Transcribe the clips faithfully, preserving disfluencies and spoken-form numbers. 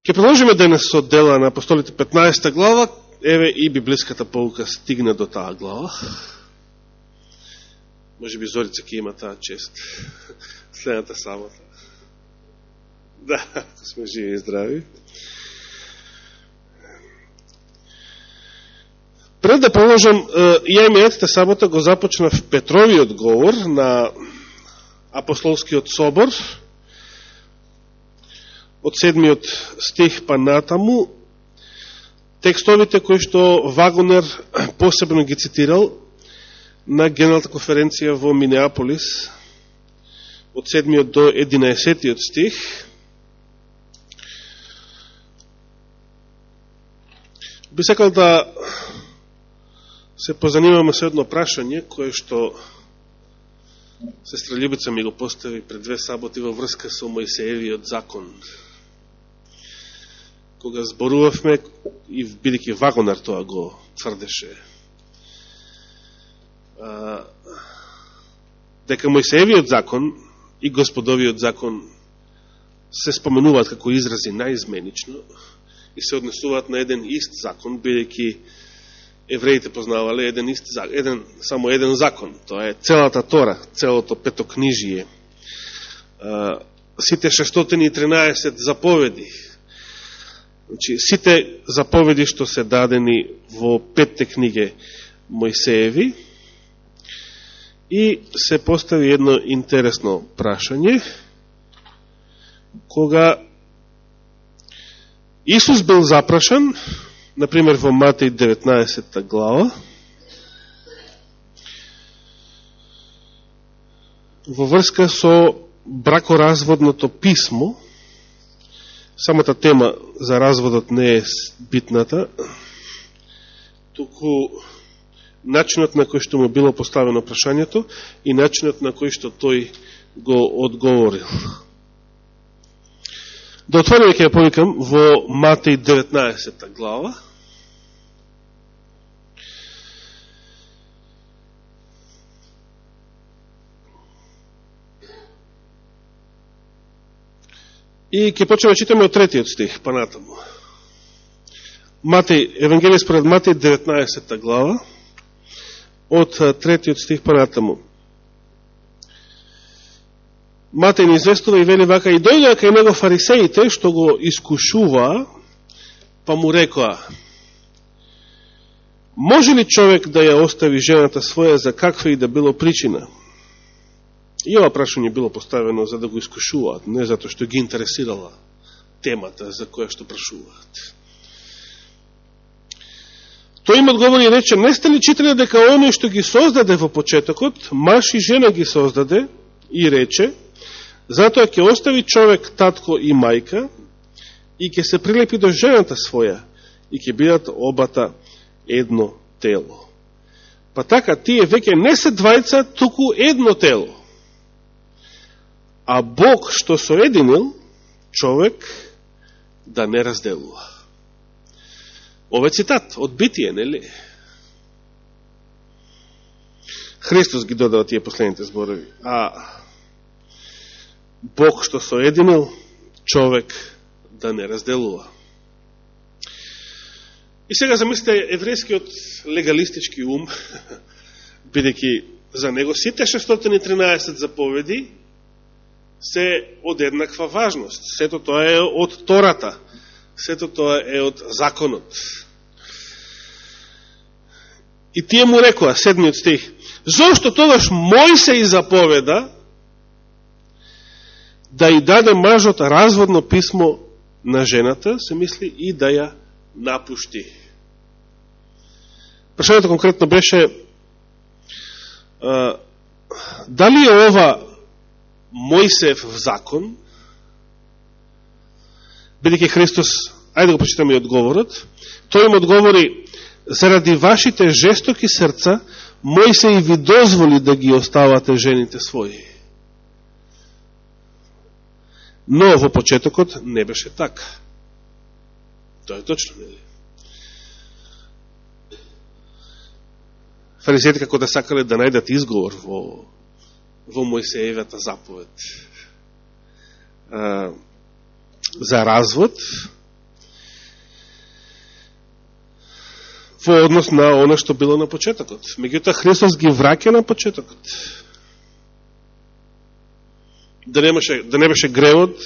Ке продолжиме денес со Дела на апостолите петнаесета глава, еве и библиската pouка стигна до таа глава. Може би Зорица ќе има таа чест следната сабота. Да, сме живи и здрави. Пред да продолжам, ја имејатата сабота го започнав Петровиот говор на апостолскиот собор, од седмиот стих па натаму, текстовите кои што Вагонер посебно ги цитирал на Генералната конференција во Минеаполис, од седмиот до единаесеттиот стих. Би сакал да се позанимаме со едно прашање, кое што сестра Љубица ми го постави пред две саботи во врска со Мојсеевиот закон. Кога зборувавме, и бидејќи Вагонер тоа го тврдеше, а, дека Мојсеевиот закон и Господовиот закон се споменуваат како изрази наизменично и се однесуваат на еден ист закон, бидејќи евреите познавале еден ист еден само еден закон. Тоа е целата Тора, целото петокнижие. А, сите шестстотини и тринаесет заповеди. Значи, сите заповеди што се дадени во петте книги Мојсееви, и се постави едно интересно прашање, кога Исус бил запрашан, например во Матеј деветнаесета глава, во врска со бракоразводното писмо. Самата тема за разводот не е битната, туку начинот на кој што му било поставено прашањето и начинот на кој што тој го одговорил. Да отвориме, ќе ја повикам, во Матеј деветнаесета глава. И ќе почнеме читаме од третиот стих, па натаму. Матеј, Евангелие според Матеј деветнаесета глава, од третиот стих па натаму. Матеј ни известува и вели вака: и дојдоа кај него фарисеите, што го искушуваа, па му рекоа: може ли човек да ја остави жената своја за каква и да било причина? И ова прашање било поставено за да го искушуваат, не затоа што ги интересирала темата за која што прашуваат. Тој им одговори и рече: не сте ли читали дека оној што ги создаде во почетокот, маж и жена ги создаде, и рече: затоа ќе остави човек татко и мајка и ќе се прилепи до жената своја и ќе бидат обата едно тело. Па така, тие веќе не се двајца, туку едно тело. А Бог што соединил, човек да не разделува. Ова е цитат од Битие, нели? Христос ги додава тие последните зборови. А Бог што соединил, човек да не разделува. И сега замислите еврејскиот легалистички ум, бидејќи за него сите шестстотини и тринаесет заповеди се од еднаква важност. Сето тоа е од Тората. Сето тоа е од законот. И тие му рекоа, седмиот стих: зошто тогаш Мојсей заповеда да и даде мажот разводно писмо на жената, се мисли, и да ја напушти. Прашањето конкретно беше: а, дали е ова Мојсеев закон, бидејќи Христос, ајде да го прочитаме и одговорот, тој им одговори: заради вашите жестоки срца, Мојсей ви дозволи да ги оставате жените своји. Но во почетокот не беше така. Тоа е точно, нели? Фарисеите како да сакале да најдат изговор во во Мојсеевата заповед а, за развод, во однос на оно што било на почетокот. Меѓутоа, Христос ги враќа на почетокот. Да немаше, да не беше гревот,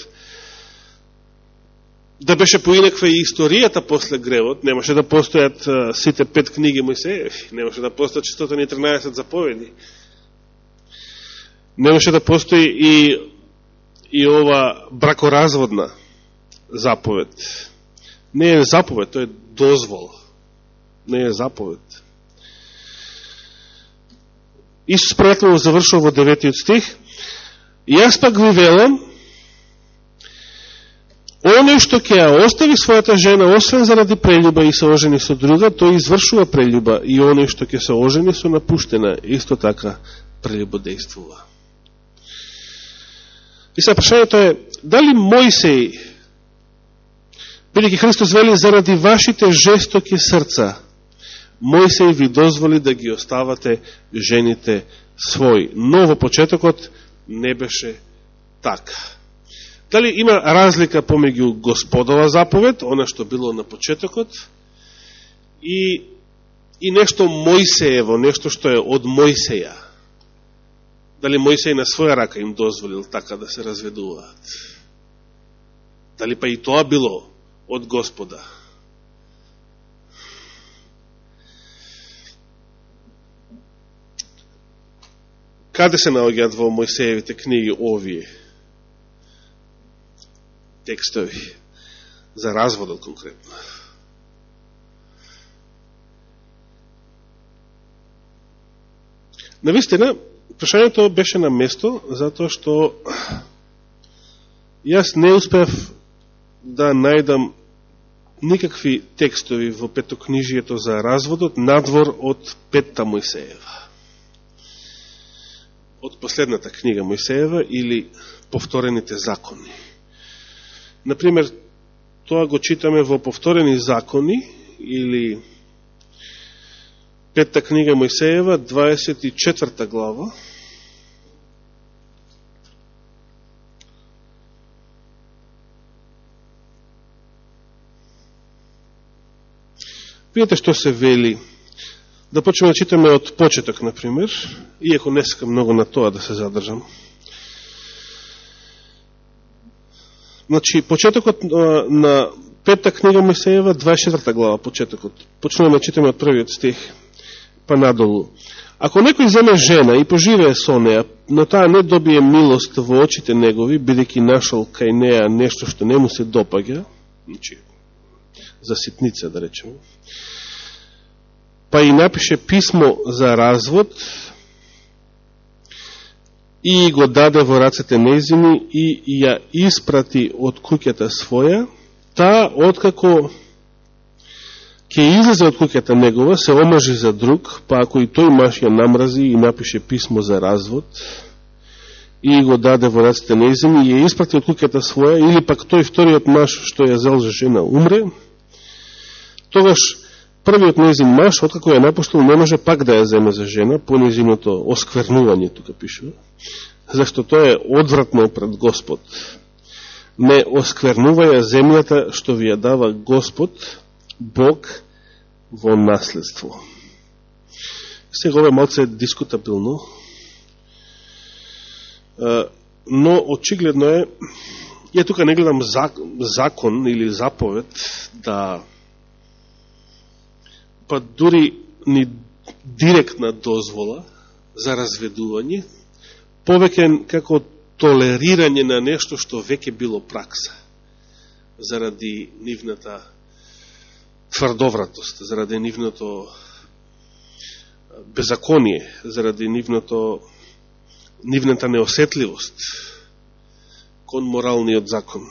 да беше поинаква и историјата после гревот, немаше да постојат а, сите пет книги Мојсееви, немаше да постојат четиристотини и тринаесет заповеди, немаше да постои и, и ова бракоразводна заповед. Не е заповед, тоа е дозвол. Не е заповед. Исус пријателно завршува во деветиот стих. Јас пак ви велам, оној што ќе ја остави својата жена, освен заради прелюба и се ожени со друга, тој извршува прелюба, и оној што ќе се ожени со напуштена, исто така прелюбодејствува. И сега прашањето е, дали Мојсей, бидејќи Христос вели заради вашите жестоки срца, Мојсей ви дозволи да ги оставате жените своји. Но во почетокот не беше така. Дали има разлика помеѓу Господова заповед, она што било на почетокот, и, и нешто Мојсеево, нешто што е од Мојсеја? Дали Мојсей на своја рака им дозволил така да се разведуваат? Дали па и тоа било од Господа? Каде се наоѓаат во Мојсеевите книги овие текстови за разводот конкретно? Навистина, прашањето беше на место, затоа што јас не успев да најдам никакви текстови во петокнижието за разводот надвор од петта Мојсеева. Од последната книга Мојсеева или повторените закони. Например, тоа го читаме во повторени закони или петта книга Мојсеева, дваесет и четврта глава. Видите што се вели. Да почнеме да читаме од почеток, например, иако не сакам многу на тоа да се задржам. Значи, почетокот на петта книга Мојсеева, дваесет и четврта глава, почетокот. Почнеме да читаме од првиот стих, па надолу. Ако некој земе жена и поживее со неја, но таа не добие милост во очите негови, бидејќи нашол кај неја нешто што не му се допаѓа, значи, за ситница, да речеме, па и напише писмо за развод и го даде во рацете нејзини и ја испрати од куќата своја, таа, откако ќе излезе од куќата негова, се омажи за друг, па ако и тој маж ја намрази и напише писмо за развод и го даде во рацете нејзини и ја испрати од куќата своја, или пак тој вториот маж што ја зел за жена умре, тогаш првиот нејзин маж, откако ја напуштил, не може пак да ја земе за жена, по нејзиното осквернување, тука пишува, зашто тоа е одвратно пред Господ. Не осквернуваја земјата што ви ја дава Господ, Бог, во наследство. Сега ова е малце дискутабилно, но очигледно е, ја тука не гледам закон или заповед да па дури ни директна дозвола за разведување, повеќе како толерирање на нешто што веќе било пракса, заради нивната тврдовратост, заради нивното беззаконие, заради нивното, нивната неосетливост кон моралниот закон.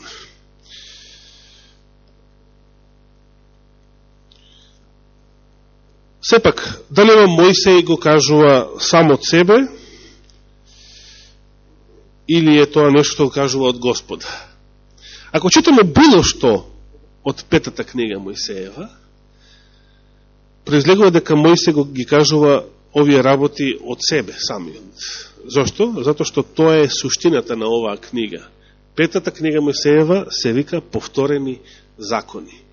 Сепак, дали Мојсей го кажува сам од себе, или е тоа нешто што го кажува од Господа? Ако читаме било што од петата книга Мојсеева, произлегува дека Мојсей го ги кажува овие работи од себе самиот. Зошто? Зато што тоа е суштината на оваа книга. Петата книга Мојсеева се вика повторени закони.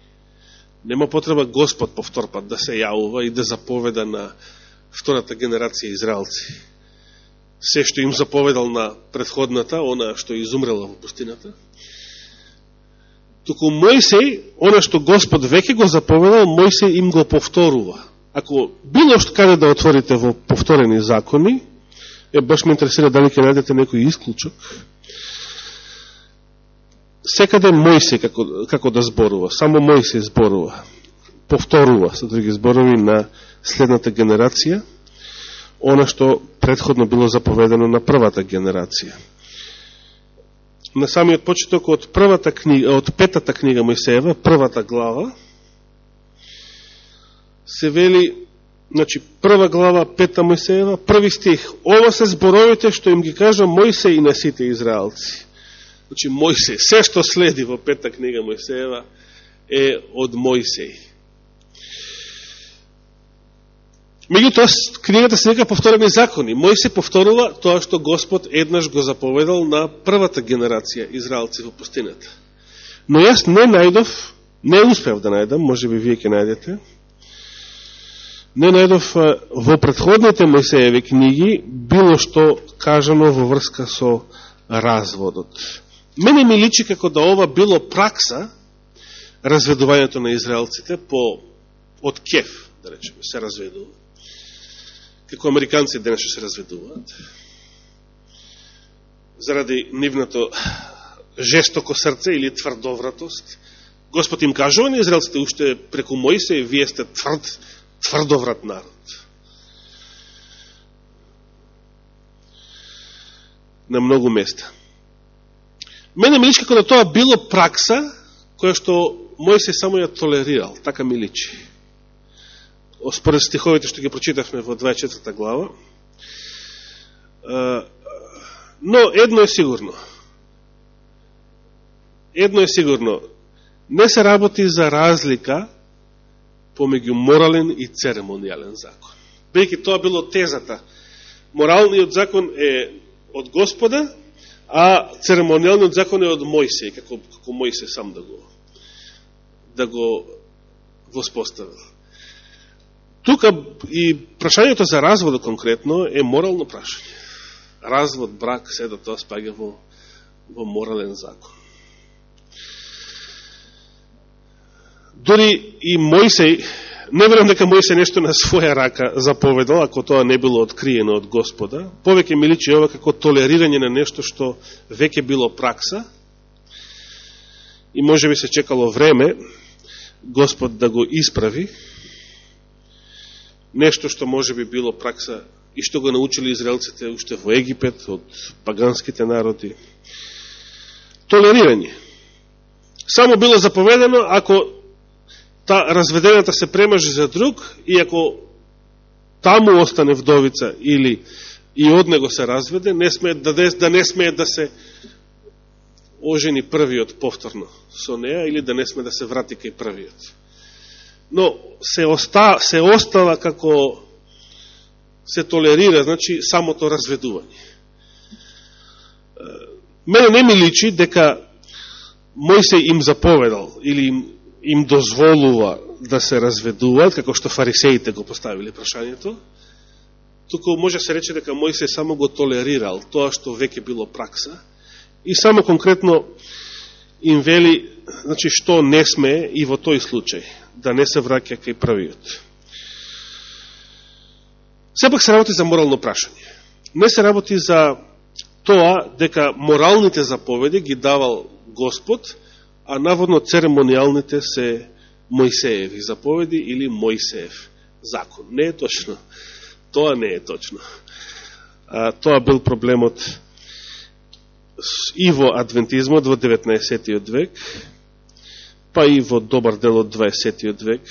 Нема потреба Господ повторпат да се јавува и да заповеда на втората генерација израелци. Се што им заповедал на предходната, она што изумрела во пустината. Туку Мојсей, она што Господ веќе го заповедал, Мојсей им го повторува. Ако било што каде да отворите во повторени закони, е, баш ме интересира дали ќе најдете некој исклучок, секаде Мојсей како, како да зборува, само Мојсей зборува, повторува, со други зборови, на следната генерација, она што предходно било заповедено на првата генерација. На самиот почеток од првата книга, од петата книга Мојсеева, првата глава, се вели, значи, прва глава, пета Мојсеева, први стих, ова се зборовите што им ги кажа Мојсей и на сите израелци. Значи, Мојсей, се што следи во пета книга Мојсеева е од Мојсей. Меѓутоа, книгата се вика повторени закони. Мојсей повторува тоа што Господ еднаш го заповедал на првата генерација израелци во пустината. Но јас не најдов, не успев да најдам, може би вие ќе најдете, не најдов во предходните Мојсееви книги било што кажано во врска со разводот. Мене ми личи како да ова било пракса, разведувањето на израелците по, од кеф, да речеме, се разведува. Како американци денес се разведуваат. Заради нивното жестоко срце или тврдовратост. Господ им кажува на израелците уште преку Мојсей, вие сте тврд, тврдоврат народ. На многу места. Мене ми личи како да тоа било пракса која што Мојсей само ја толерирал, така ми личи. Според стиховите што ги прочитавме во дваесет и четврта глава. Но едно е сигурно. Едно е сигурно. Не се работи за разлика помеѓу морален и церемонијален закон. Бејќи тоа било тезата. Моралниот закон е од Господа, а церемонијалниот закон е од Мојсей, како, како Мојсей сам да го, да го воспоставил. Тука и прашањето за разводот конкретно е морално прашање. Развод, брак, се да тоа спаѓа во, во морален закон. Дори и Мојсей, не верувам дека Мојсей нешто на своја рака заповедал, ако тоа не било откриено од Господа. Повеќе ми личи ова како толерирање на нешто што веќе било пракса и може би се чекало време Господ да го исправи. Нешто што може би било пракса и што го научили израелците уште во Египет од паганските народи. Толерирање. Само било заповедено ако та разведената се премажи за друг и ако таму остане вдовица или и од него се разведе, не смее да, да не смее да се ожени првиот повторно со неа или да не смее да се врати кај првиот. Но се, оста, се остава како се толерира, значи самото разведување. Мене не ми личи дека Мојсей им заповедал или им, им дозволува да се разведуваат, како што фарисеите го поставили прашањето, туку може се рече дека Мојсей само го толерирал тоа што веќе било пракса и само конкретно им вели, значи, што не смее и во тој случај, да не се враќа кај првиот. Сепак се работи за морално прашање. Не се работи за тоа дека моралните заповеди ги давал Господ, а наводно церемонијалните се Мојсееви заповеди или Мојсеев закон. Не е точно. Тоа не е точно. А, тоа бил проблемот и во адвентизмот во деветнаесеттиот век, па и во добар дел од дваесеттиот век,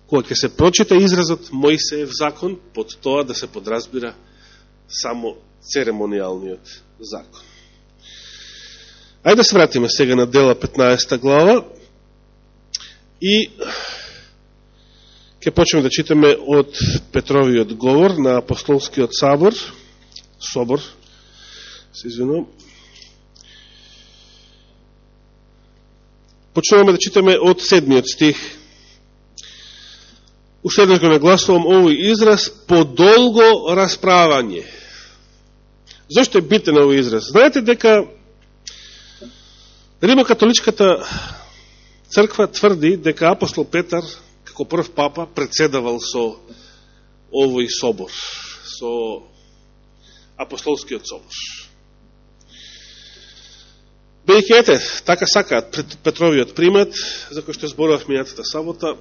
кога ќе се прочита изразот Мојсеев закон, под тоа да се подразбира само церемонијалниот закон. Ајде да се вратиме сега на дела петнаесета глава и ќе почнеме да читаме од Петровиот говор на апостолскиот собор, собор, се извинувам. Почнуваме да читаме од седмиот стих Уште еднаш го нагласувам овој израз подолго расправање. Зошто е битен овој израз? Знаете дека Римокатоличката црква тврди дека апостол Петар, како прв папа, председавал со овој собор, со апостолскиот собор. Бејќи ете, така сакаат Петровиот примат, за кој што зборував минатата сабота,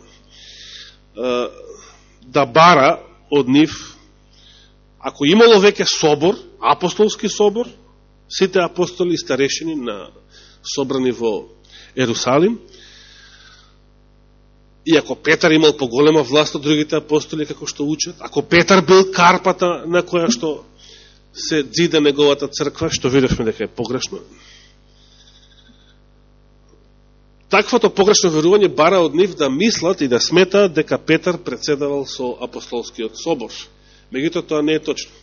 да бара од нив, ако имало веќе собор, апостолски собор, сите апостоли и старешини на собрани во Ерусалим, и ако Петар имал поголема власт од другите апостоли, како што учат, ако Петар бил карпата на која што се дзида неговата црква, што видевме дека е погрешно, таквото погрешно верување бара од нив да мислат и да сметаат дека Петар председавал со апостолскиот собор. Меѓутоа тоа не е точно.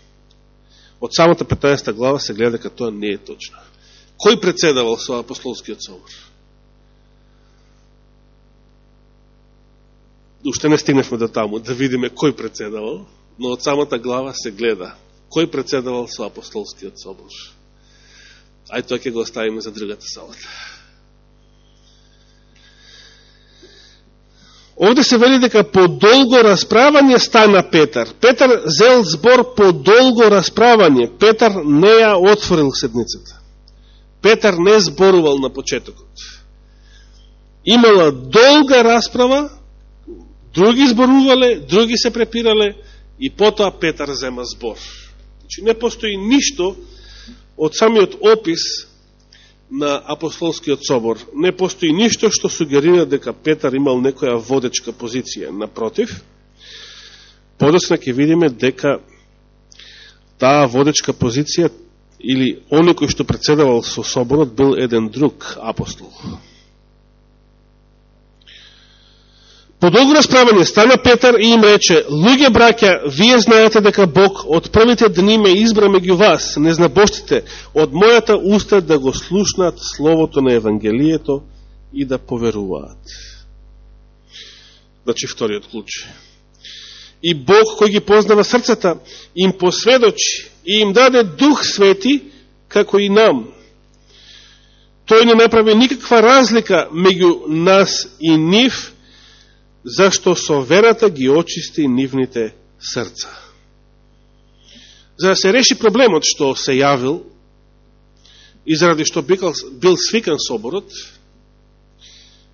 Од самата петнаесета глава се гледа дека тоа не е точно. Кој председавал со апостолскиот собор? Уште не стигнешме до таму да видиме кој председавал, но од самата глава се гледа кој председавал со апостолскиот собор. Ај тоа ќе го оставиме за другата салата. Овде се вели дека по долго расправање стана Петар. Петар зел збор по долго расправање. Петар не ја отворил седницата. Петар не зборувал на почетокот. Имала долга расправа, други зборувале, други се препирале и потоа Петар зема збор. Значи не постои ништо од самиот опис на апостолскиот собор. Не постои ништо што сугерира дека Петар имал некоја водечка позиција. Напротив, подоцна ќе видиме дека таа водечка позиција или оној кој што председавал со соборот бил еден друг апостол. По долго расправање стана Петар и им рече: луѓе браќа, вие знаете дека Бог од првите дни ме избра меѓу вас, незнабожците, од мојата уста да го слушнат словото на Евангелието и да поверуваат. Значи вториот клуч. И Бог кој ги познава срцата им посведочи и им даде Дух Свети како и нам. Тој не направи никаква разлика меѓу нас и нив, зашто со верата ги очисти нивните срца. За да се реши проблемот што се јавил и заради што бил свикан соборот,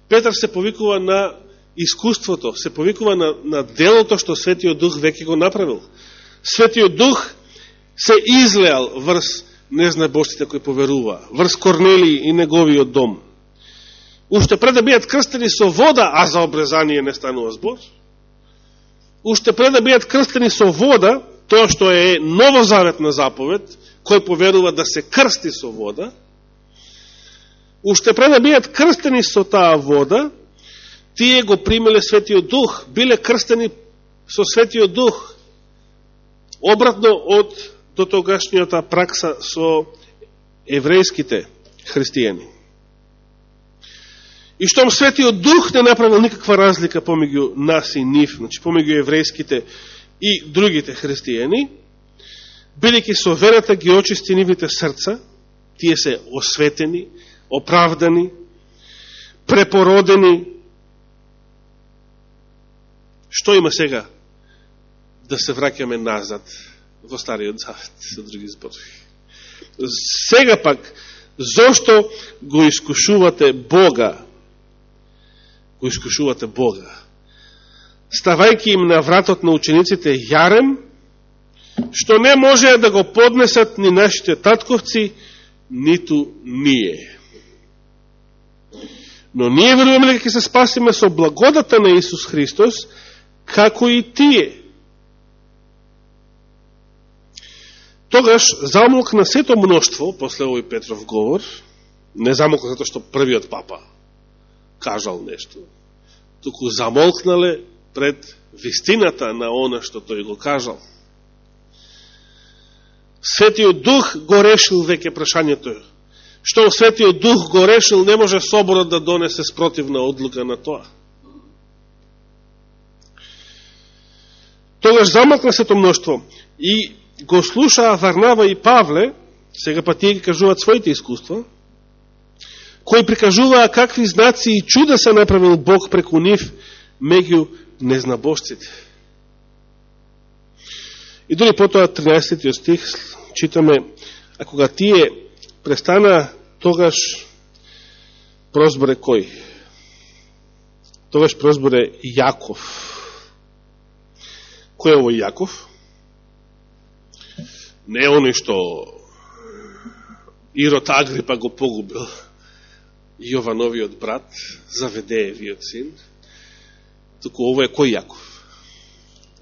Петар се повикува на искуството, се повикува на, на делото што Светиот Дух веќе го направил. Светиот Дух се излеал врз незнабожците кои поверува, врз Корнелиј и неговиот дом. Уште пред да бидат крстени со вода, а за обрезание не станува збор, уште пред да бидат крстени со вода, тоа што е новозаветна заповед, кој поверува да се крсти со вода, уште пред да бидат крстени со таа вода, тие го примеле Светиот Дух, биле крстени со Светиот Дух, обратно од дотогашнијата пракса со еврејските христијани. И штом Светиот Дух не направил никаква разлика помеѓу нас и нив, значи помеѓу еврејските и другите христијани, бидејќи со верата ги очисти нивните срца, тие се осветени, оправдани, препородени. Што има сега да се враќаме назад во Стариот Завет, со други зборови? Сега пак, зошто го искушувате Бога? Го искушувате Бога. Ставајќи им на вратот на учениците јарем, што не може да го поднесат ни нашите татковци, ниту ние. Но ние веруваме дека ќе се спасиме со благодата на Исус Христос, како и тие. Тогаш замолкна сето мноштво, после овој Петров говор, не замолкна затоа што првиот папа кажал нешто, туку замолкнале пред вистината на она што тој го кажал. Светиот Дух го решил веќе прашањето. Што Светиот Дух го решил, не може соборот да донесе спротивна одлука на тоа. Тогаш замлкна сето мноштво и го слушаа Варнава и Павле, сега па тие ги кажуваат своите искуства, кои прикажуваа какви знаци и чуда се направил Бог преку нив меѓу незнабожците. И дори потоа тринаесети стих читаме, а кога тие престана, тогаш прозборе кој? Тогаш прозборе Јаков. Кој е овој Јаков? Не е оној што Ирод Агрипа го погубил, Јовановиот брат, Заведеевиот син, туку ово е кој Јаков?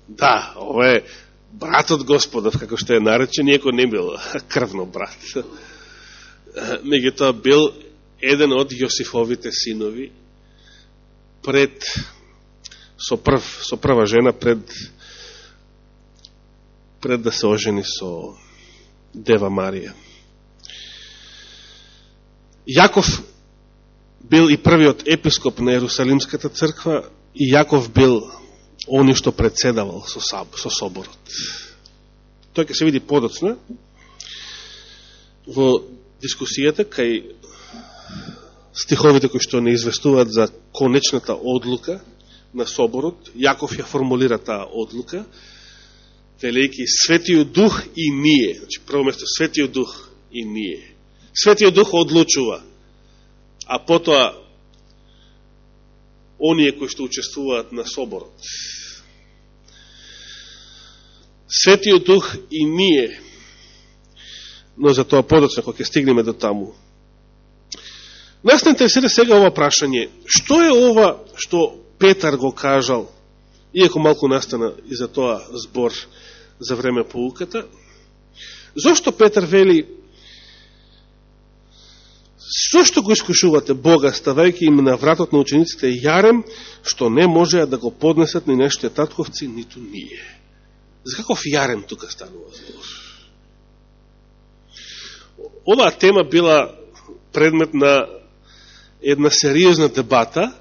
Да, ово е братот Господов, како што е наречен, иако не бил крвно брат. Меѓутоа бил еден од Јосифовите синови пред со прв со прва жена пред пред да се ожени со Дева Марија. Јаков бил и првиот епископ на Ерусалимската црква и Јаков бил они што председавал со, со соборот. Тој ќе се види подоцна во дискусијата кај стиховите кои што не известуваат за конечната одлука на соборот. Јаков ја формулира таа одлука, велејќи Светиот Дух и ние. Значи, прво место Светиот Дух и ние. Светиот Дух одлучува, а потоа оние кои што учествуваат на соборот. Светиот Дух и ние. Но за тоа подоцна, кога ќе стигнеме до таму. Нас не интересира сега ова прашање. Што е ова што Петар го кажал, иако малку настана и за тоа збор за време поуката? Зошто Петар вели, зошто го искушувате Бога, ставајќи им на вратот на учениците јарем, што не можеа да го поднесат ни нашите татковци, ниту ние? За каков јарем тука станува збор? Оваа тема била предмет на една сериозна дебата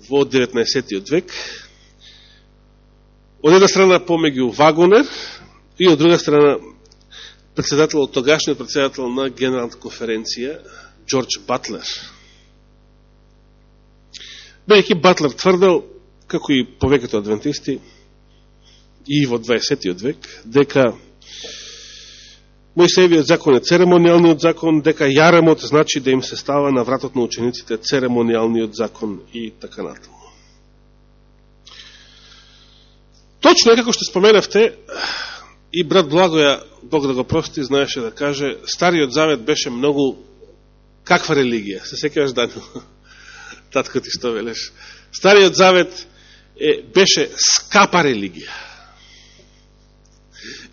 во деветнаесеттиот век. Од една страна помеѓу Вагонер и од друга страна председател, тогашниот председател на Генералната конференција Џорџ Батлер. Бејќи Батлер тврдел, како и повеќето адвентисти и во дваесеттиот век, дека Мојсеевиот закон е церемонијалниот закон, дека јаремот значи да им се става на вратот на учениците церемонијалниот закон и така натаму. Точно е, како што споменавте, и брат Благоја, Бог да го прости, знаеше да каже, Стариот Завет беше многу каква религија? Се сеќаваш, Данил? Татко ти што велеш? Стариот Завет е, беше скапа религија.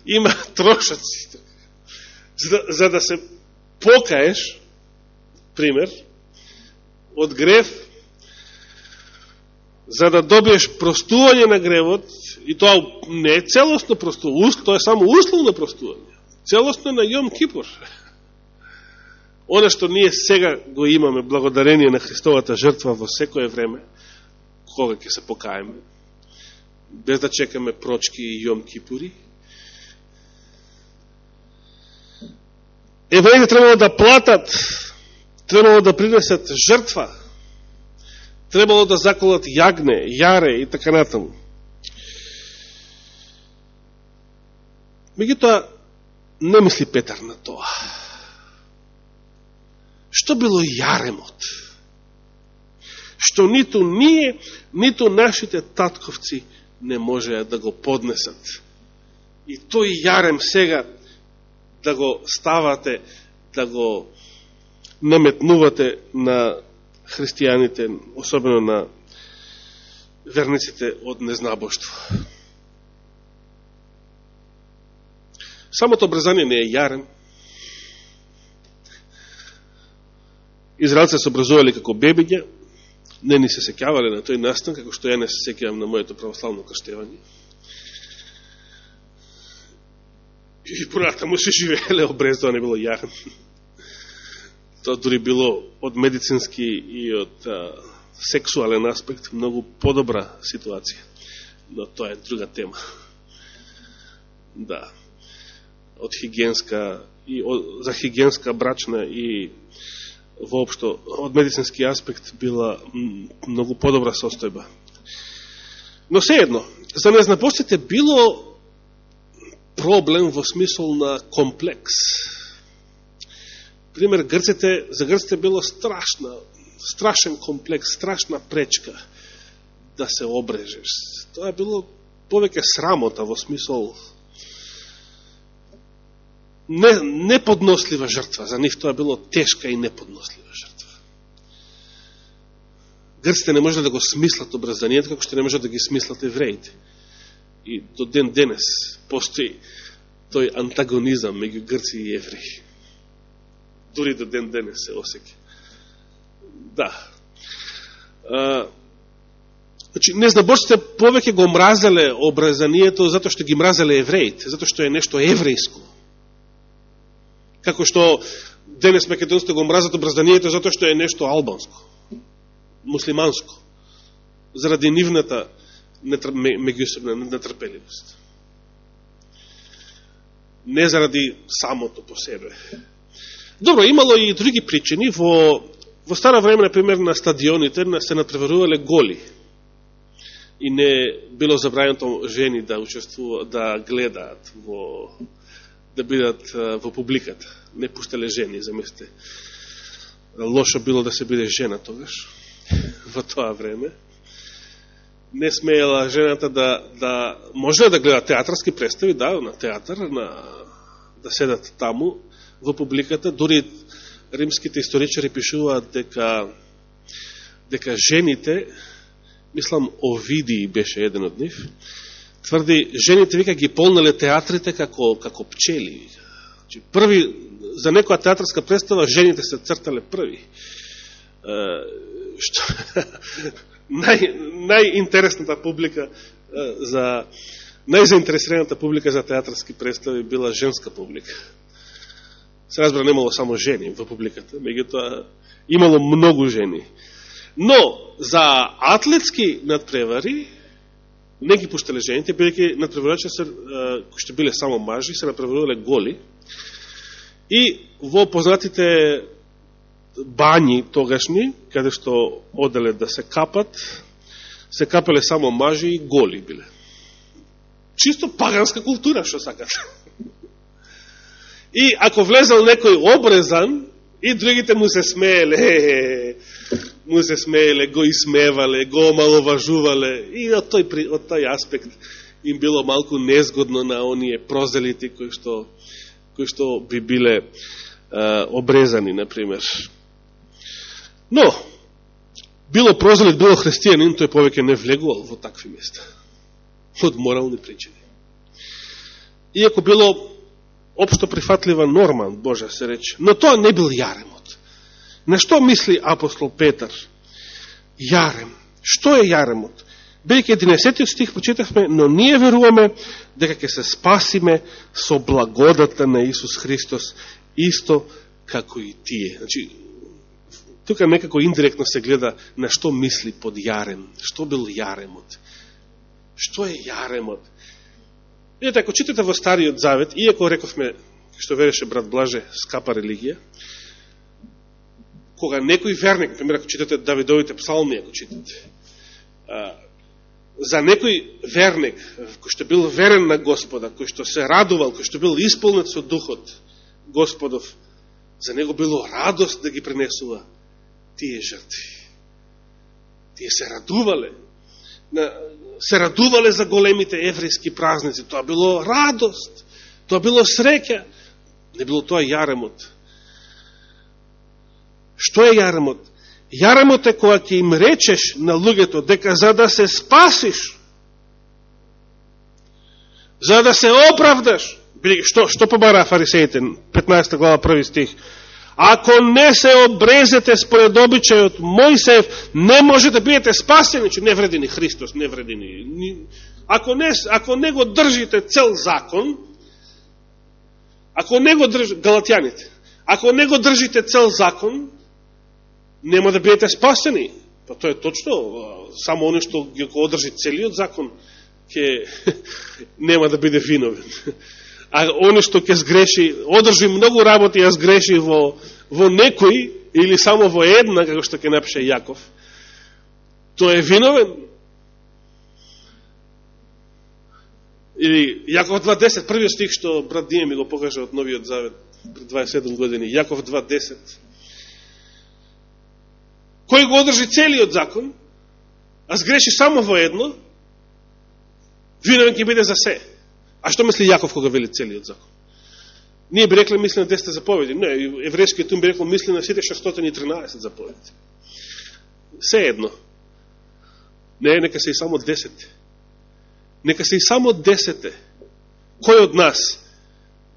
Има трошаци. За, за да се покаеш, пример, од грев, за да добиеш простување на гревот, и тоа не е целосно простување, тоа е само условно простување, целосно на Јом Кипур. Оно што ние сега го имаме, благодарение на Христовата жртва во секое време, кога ќе се покаеме, без да чекаме прочки и Јом Кипури, евреите требало да платат, требало да принесат жртва, требало да заколат јагне, јаре и така натаму. Меѓутоа, не мисли Петар на тоа. Што било јаремот? Што ниту ние, ниту нашите татковци не можеа да го поднесат. И тој јарем сега да го ставате, да го наметнувате на христијаните, особено на верниците од незнабоштво. Самото образание не е јарем. Израелци се образували како бебиња, не ни се сеќавале на тој настан, како што ја не се сеќавам на моето православно крштевање. И понатаму се живееле обрезано, не било јарем. Тоа дури било од медицински и од а, сексуален аспект многу подобра ситуација. но тоа е друга тема. Да. Од хигиенска и од, за хигиенска, брачна и воопшто од медицински аспект била многу подобра состојба. Но сеедно, за незнабожците било проблем во смисол на комплекс. Пример, грците, за грците било страшна, страшен комплекс, страшна пречка да се обрежеш. Тоа било повеќе срамота во смисол не, неподнослива жртва. За нив тоа било тешка и неподнослива жртва. Грците не можеле да го смислат обрезанието, како што не можат да ги смислат евреите. И до ден денес постои тој антагонизам меѓу грци и евреи. Дури до ден денес се осеќа. Да. А, значи, незнабожците повеќе го мразеле обрезанието затоа што ги мразеле евреите, затоа што е нешто еврејско. Како што денес македонците го мразат обрезанието затоа што е нешто албанско, муслиманско, заради нивната меѓусебна нетрпеливост. Не заради самото по себе. Добро, имало и други причини. Во, во стара време, например, на стадионите се натпреварувале голи. И не било забрањено жени да учествуваат, да гледаат, во, да бидат во публиката. Не пуштале жени, замислите. Лошо било да се биде жена тогаш, во тоа време. Не смеела жената да, да може да гледа театарски представи, да, на театар, на, да седат таму, во публиката. Дури римските историчари пишуваат дека, дека жените, мислам Овидий беше еден од нив, тврди, жените вика ги полнале театрите како, како пчели. Значи, први, за некоја театарска представа, жените се цртале први. Uh, што, нај, најинтересната публика uh, за најзаинтересираната публика за театарски представи била женска публика. Се разбира, немало само жени во публиката, меѓутоа имало многу жени. Но за атлетски надпревари не ги пуштале жените, бидејќи надпреварачи се uh, кои што биле само мажи, се надпреварувале голи и во познатите бањи тогашни, каде што оделе да се капат, се капеле само мажи и голи биле. Чисто паганска култура, што сакат. И ако влезал некој обрезан, и другите му се смееле, му се смееле, го исмевале, го омаловажувале, и од тој, од тој аспект им било малку незгодно на оние прозелити кои што, кои што би биле а, обрезани, например. Но, било прозелит, било христијанин, тој повеќе не влегувал во такви места. Од морални причини. Иако било општо прифатлива норма, Божа се рече, но тоа не бил јаремот. На што мисли апостол Петар? Јарем. Што е јаремот? Бидејќи единесетиот стих прочитавме, но ние веруваме дека ќе се спасиме со благодата на Исус Христос, исто како и тие. Значи, тука некако индиректно се гледа на што мисли под јарем. Што бил јаремот? Што е јаремот? Видите, ако читате во Стариот Завет, иако рековме, што вереше брат Блаже, скапа религија, кога некој верник, например, ако читате Давидовите псалми, ако читате, за некој верник, кој што бил верен на Господа, кој што се радувал, кој што бил исполнет со духот Господов, за него било радост да ги пренесува тие жртви. Тие се радувале. Се радувале за големите еврејски празници. Тоа било радост. Тоа било среќа. Не било тоа јаремот. Што е јаремот? Јаремот е кога ќе им речеш на луѓето дека за да се спасиш, за да се оправдаш, што, што побара фарисеите, петнаесета глава, први стих, ако не се обрезете според обичајот Мојсеев, не може да бидете спасени, че не вреди ни Христос, не вреди ни. Ако не, ако не го држите цел закон, ако не го држите, галатјаните, ако не го држите цел закон, нема да бидете спасени. Па тоа е точно, само оно што го одржи целиот закон, ќе нема да биде виновен. А оне што ќе сгреши, одржи многу работи, а сгреши во, во некој, или само во една, како што ќе напише Јаков, тој е виновен. Или Јаков два десет, првиот стих што брат Дија ми го покажа од Новиот Завет пред дваесет и седум години, Јаков два десет. Кој го одржи целиот закон, а сгреши само во едно, виновен ќе биде за се. А што мисли Јаков кога вели целиот закон? Ние би рекле мисли на десет заповеди. Не, еврејскиот тум би рекло мисли на сите шестстотини и тринаесет заповеди. Се едно. Не, нека се и само десет. Нека се и само десете. Кој од нас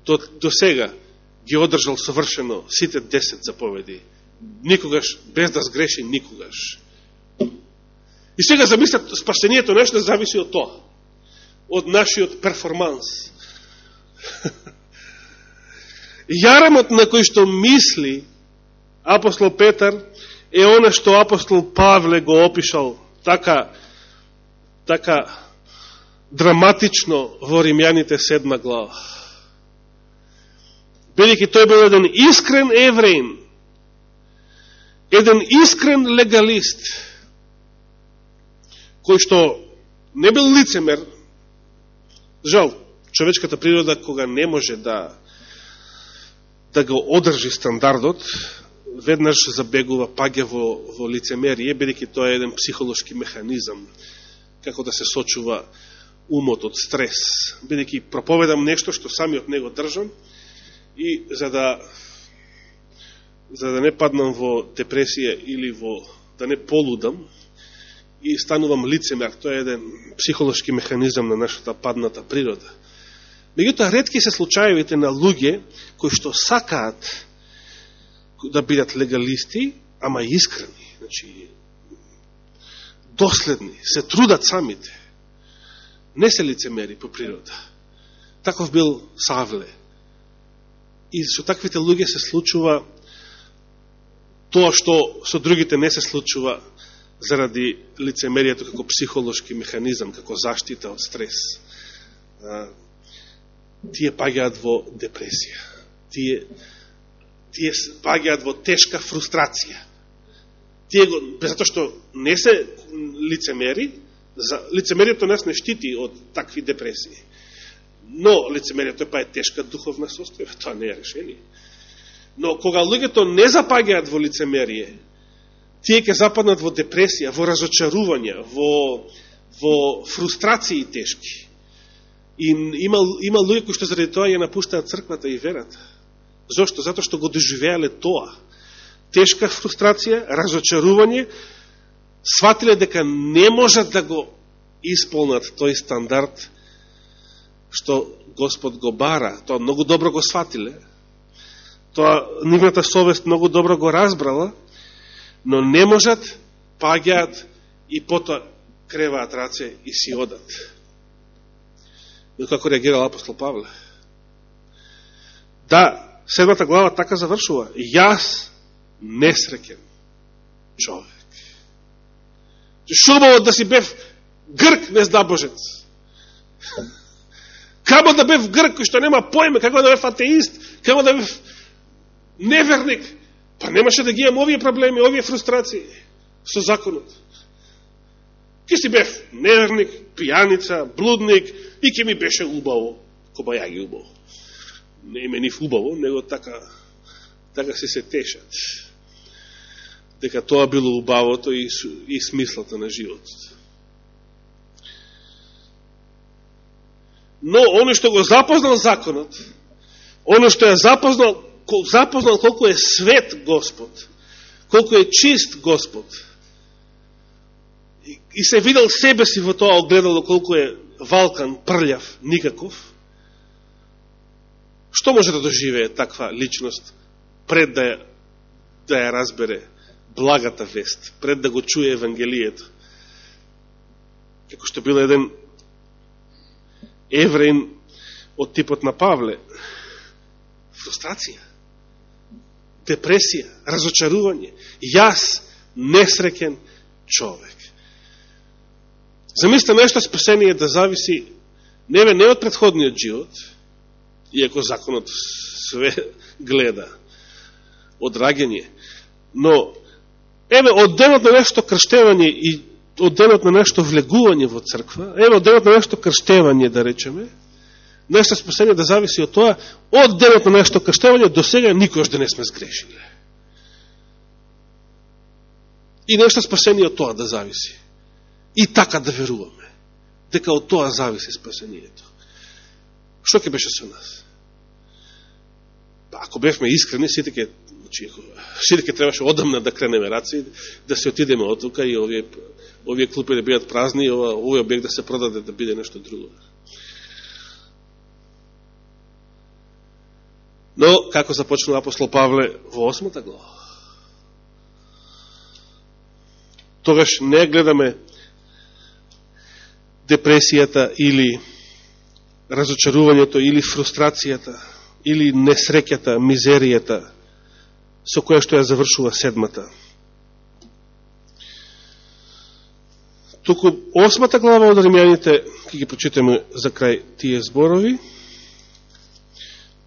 до, до сега ги одржал совршено сите десет заповеди? Никогаш, без да сгреши никогаш. И сега замислят, спасението нешто зависи од тоа. Од нашиот перформанс. Јарамот на кој што мисли апостол Петар е она што апостол Павле го опишал така, така драматично во Римјаните седма глава. Бидејќи тој бил еден искрен евреин, еден искрен легалист, кој што не бил лицемер. Жал, човечката природа кога не може да да го одржи стандардот, веднаш забегува, паѓа во, во лицемерие, бидејќи тоа е еден психолошки механизам, како да се сочува умот од стрес. Бидејќи проповедам нешто што самиот него држам, и за да за да не паднам во депресија или во да не полудам, и станувам лицемер. Тоа е еден психолошки механизам на нашата падната природа. Меѓутоа, ретки се случаевите на луѓе кои што сакаат да бидат легалисти, ама искрени, значи доследни, се трудат самите. Не се лицемери по природа. Таков бил Савле. И со таквите луѓе се случува тоа што со другите не се случува заради лицемерието како психолошки механизам, како заштита од стрес. Тие паѓаат во депресија. Тие, тие паѓаат во тешка фрустрација. Тие го, затоа што не се лицемери, за, лицемерието нас не штити од такви депресии. Но лицемерието па е тешка духовна состојба, тоа не е решение. Но кога луѓето не запаѓаат во лицемерие, тие ќе западнат во депресија, во разочарувања, во, во фрустрации тешки. И има, има луѓе кои што заради тоа ја напуштаат црквата и верата. Зошто? Затоа што го доживеале тоа. Тешка фрустрација, разочарување, сватиле дека не можат да го исполнат тој стандард што Господ го бара. Тоа многу добро го сватиле. Тоа нивната совест многу добро го разбрала, но не можат, паѓаат и потоа креваат раце и си одат. Но како реагирал апостол Павле? Да, седмата глава така завршува. Јас несреќен човек. Шубаво да си бев грк нездабожец. Камо да бев грк кој што нема поиме, како да бев атеист, како да бев неверник. Па немаше да ги имам овие проблеми, овие фрустрации со законот. Ке си бев неверник, пијаница, блудник и ке ми беше убаво, кобајаги убаво. Не име нив убаво, него така, така се се тешат. Дека тоа било убавото и, и смислата на животот. Но, оно што го запознал законот, оно што ја запознал, запознал колку е свет Господ, колку е чист Господ, и, и се видел себе си во тоа огледало колку е валкан, прљав, никаков, што може да доживее таква личност пред да ја, да ја разбере благата вест, пред да го чуе Евангелието? Како што бил еден евреин од типот на Павле. Фрустрација, депресија, разочарување. Јас несреќен човек. Замислите нешто спасение да зависи не, не од претходниот живот, иако законот све гледа од раѓање, но еве од денот на нешто крштевање и од денот на нешто влегување во црква, еве од денот на нешто крштевање, да речеме, нешто спасение да зависи од тоа, од денот на нешто крштевање до сега никош да не сме сгрешиле. И нешто спасение од тоа да зависи. И така да веруваме, дека од тоа зависи спасението. Што ќе беше со нас? Ако бевме искрени, сите ке, значи, сите ке требаше одамна да кренеме раци, да се отидеме од тука и овие, овие клупи да бидат празни и ова, овој објект да се продаде да биде нешто друго. Но, како започнува апостол Павле во осмата глава? Тогаш не гледаме депресијата или разочарувањето или фрустрацијата или несреќата, мизеријата со која што ја завршува седмата. Туку осмата глава од Римјаните ќе ги прочитаме за крај тие зборови,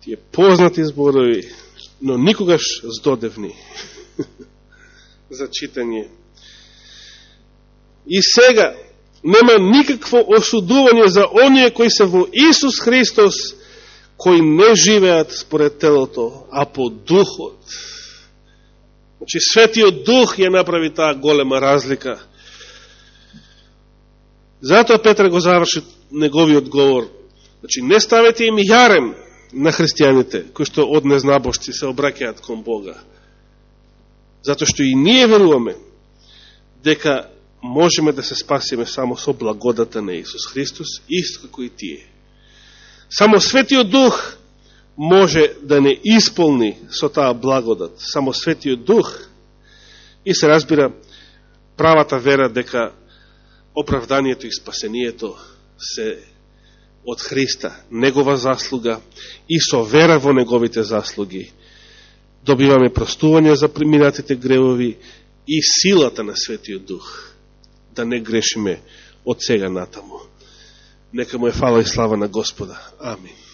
тие познати зборови, но никогаш здодевни за читање. И сега нема никакво осудување за оние кои се во Исус Христос, кои не живеат според телото, а по духот. Значи, Светиот Дух ја направи таа голема разлика. Затоа Петар го заврши неговиот говор. Значи, не ставете им јарем на христијаните, кои што од незнабошци се обраќаат кон Бога. Затоа што и ние веруваме дека можеме да се спасиме само со благодата на Исус Христос, исто како и тие. Само Светиот Дух може да не исполни со таа благодат. Само Светиот Дух и се разбира правата вера дека оправданието и спасението се од Христа, Негова заслуга и со вера во Неговите заслуги добиваме простување за преминатите гревови и силата на Светиот Дух да не грешиме од сега натаму. Нека му е фала и слава на Господа. Амин.